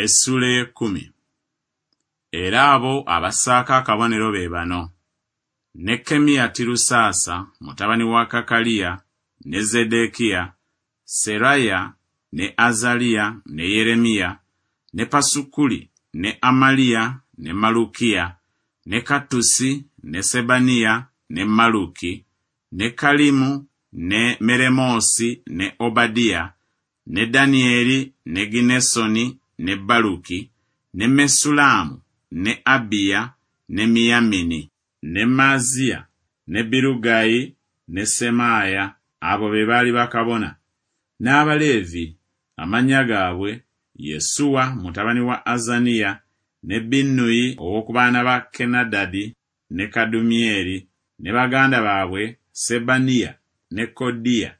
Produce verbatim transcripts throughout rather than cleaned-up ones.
Essuula ey'ekkumi. Era abo abassaako akabonero be bano: Nekkemiya Tirusaasa mutabani wa Kakaliya, ne Zeddekiya, Seraya, ne Azaliya, ne Yeremiya, ne Pasukuli, ne Amaliya, ne Malukiya, ne Kattusi, ne Sebaniya, ne Maluki, ne Kalimu, ne Meremoosi, ne Obadiya, ne Danyeri, ne Ginesoni, ne Baluki, ne Mesulaamu, ne Abiya, ne Miyamini, ne Maaziya, ne Birugayi, ne Semaaya. Abo be baali bakabona. N'Abaleevi amannya gaabwe Yesuwa mutabani wa Azaniya, ne Binnuyi ow'oku baana ba Kenadadi, ne Kadumyeri, ne baganda baabwe Sebaniya, ne Kodiya,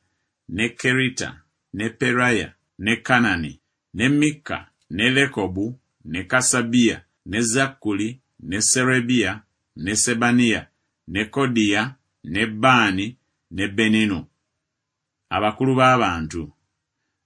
ne Kerita, ne Peraya, ne Kanani, ne Mikka, ne Lekobu, ne Kasabiya, ne Zakkuli, ne Serebiya, ne Sebaniya, ne Kodiya, ne Baani, ne Beninu. Abakulu b'abantu: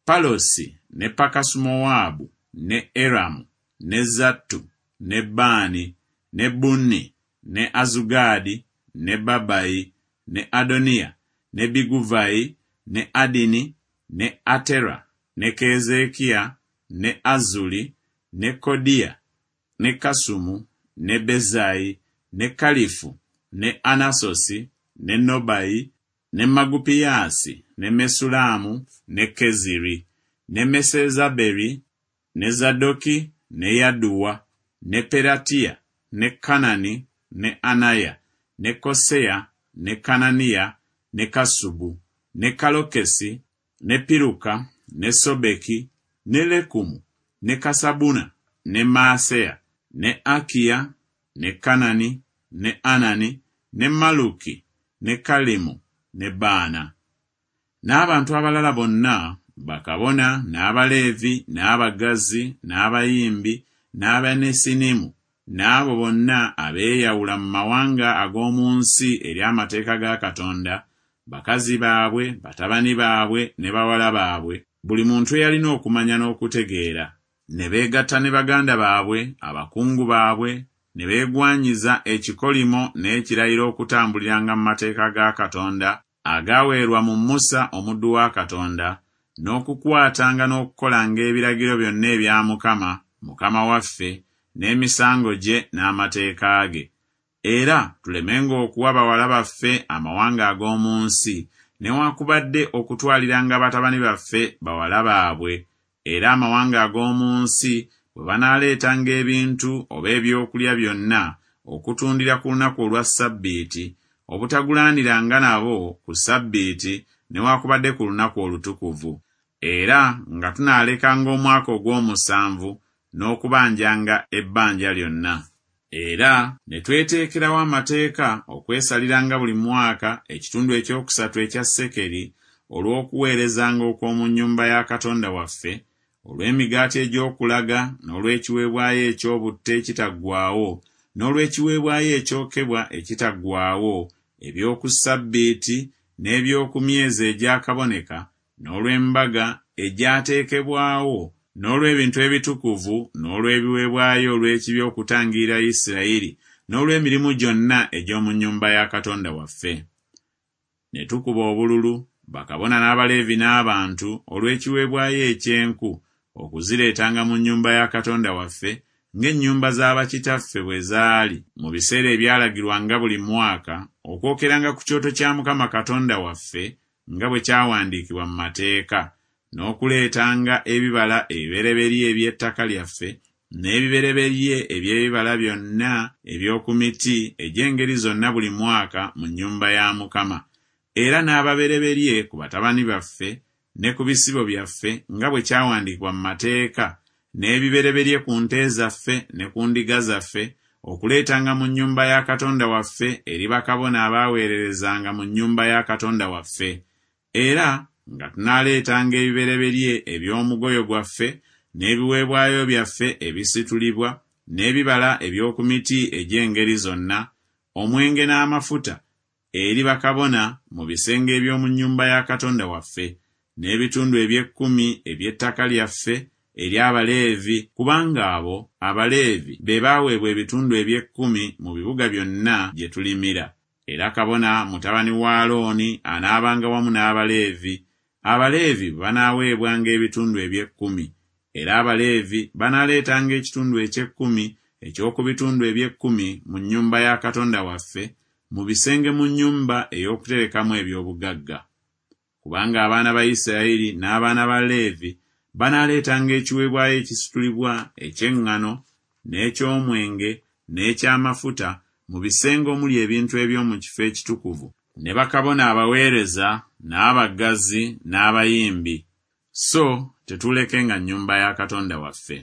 Palosi, ne Pakasumowaabu, ne Eramu, ne Zattu, ne Baani, ne Bunni, ne Azugaadi, ne Babayi, ne Adoniya, ne Biguvayi, ne Adini, ne Atera, ne Keezeekiya, ne Azuli, ne Kodiya, ne Kasumu, ne Bezayi, ne Kalifu, ne Anasosi, ne Nobayi, ne Magupiyaasi, ne Mesulaamu, ne Keziri, ne Mesezaberi, ne Zadoki, ne Yaduwa, ne Peratiya, ne Kanani, ne Anaya, ne Koseya, ne Kananiya, ne Kasubu, ne Kalokesi, ne Piruka, ne Sobeki, ne Lekumu, ne Kasabuna, ne Maaseya, ne Akiya, ne Kanani, ne Anani, ne Maluki, ne Kalimu, ne Baana. N'abantu abalala bonna, bakabona, n'Abaleevi, n'abaggazi, n'abayimbi, n'Abanesinimu, n'abo bonna abeeyawula mu mawanga ag'omu nsi eri amateeka ga Katonda, bakazi baabwe, batabani baabwe, ne bawala baabwe, buli muntu eyalina okumanya n'okutegeera, ne beegatta ne baganda baabwe, abakungu baabwe, ne beegwanyiza ekikolimo n'ekirayiro okutambuliranga mu mateeka ga Katonda agaaweerwa mu Musa omuddu wa Katonda, n'okukwatanga n'okukolanga ebiragiro byonna ebya Mukama, Mukama waffe, n'emisango gye n'amateeka ge. Era tulemenga okuwa bawala baffe amawanga ag'omu nsi, newaakubadde okutwaliranga batabani baffe bawala baabwe. Era amawanga ag'omu nsi bwe banaaleetanga ebintu oba ebyokulya byonna okutundira ku lunaku olwa Ssabbiiti, obutagulaniranga nabo ku Ssabbiiti newaakubadde ku lunaku olutukuvu. Era nga tunaalekanga omwaka ogw'omusanvu n'okubanjanga ebbanja lyonna. Era ne tweteekerawo amateeka okwesaliranga buli mwaka ekitundu ekyokusatu ekya sekeri olw'okuweerezanga okw'omu nnyumba ya Katonda waffe, olw'emigaati egy'okulaga, n'olw'ekiweebwayo eky'obutta ekitaggwaawo, n'olw'ekiweebwayo ekyokebwa ekitaggwaawo, eby'oku Ssabbiiti, n'eby'oku myezi egyakaboneka, n'olw'embaga egyateekebwawo, n'olw'ebintu ebitukuvu, n'olw'ebiweebwayo olw'ekibi okutangirira Isirayiri, n'olw'emirimu gyonna egy'omu nnyumba ya Katonda waffe. Ne tukuba obululu, bakabona n'Abaleevi n'abantu, olw'ekiweebwayo eky'enku, okuzireetanga mu nnyumba ya Katonda waffe, ng'ennyumba z'abakitaffe bwe zaali mu biseera ebyalagirwanga buli mwaka, okwokeranga ku kyoto kya Mukama Katonda waffe, nga bwe kyawandiikibwa mu mateeka, n'okuleetanga ebibala ebibereberye eby'ettaka lyaffe, n'ebibereberye eby'ebibala byonna eby'oku miti egy'engeri zonna buli mwaka mu nnyumba ya Mukama. Era n'ababereberye ku batabani baffe ne ku bisibo byaffe, nga bwe kyawandiikibwa mu mateeka, n'ebibereberye ku nte zaffe ne ku ndiga zaffe, okuleetanga mu nnyumba ya Katonda waffe eri bakabona abaaweererezanga mu nnyumba ya Katonda waffe. Era nga tunaaleetanga ebibereberye eby'omugoyo gwaffe, n'ebiweebwayo byaffe ebisitulibwa, n'ebibala eby'oku miti egy'engeri zonna, omwenge n'amafuta, eri bakabona mu bisenge eby'omu nnyumba ya Katonda waffe, n'ebitundu eby'ekkumi eby'ettaka lyaffe eri Abaleevi, kubanga abo Abaleevi be baaweebwa ebitundu eby'ekkumi mu bibuga byonna gye tulimira. Era kabona mutabani wa Alooni anaabanga wamu n'Abaleevi, Abaleevi banaaweebwanga ebitundu eby'ekkumi, era Abaleevi banaaleetanga ekitundu eky'ekkumi eky'oku bitundu eby'ekkumi mu nnyumba ya Katonda waffe, mu bisenge mu nnyumba ey'okuterekamu eby'obugagga. Kubanga abaana ba Isirayiri n'abaana ba Leevi banaaleetanga ekiweebwayo ekisitulibwa eky'eŋŋano n'eky'omwenge n'eky'amafuta mu bisenge omuli ebintu eby'omu kifo ekitukuvu, ne bakabona abaweereza n'abaggazi n'abayimbi, so tetuulekenga nnyumba ya Katonda waffe.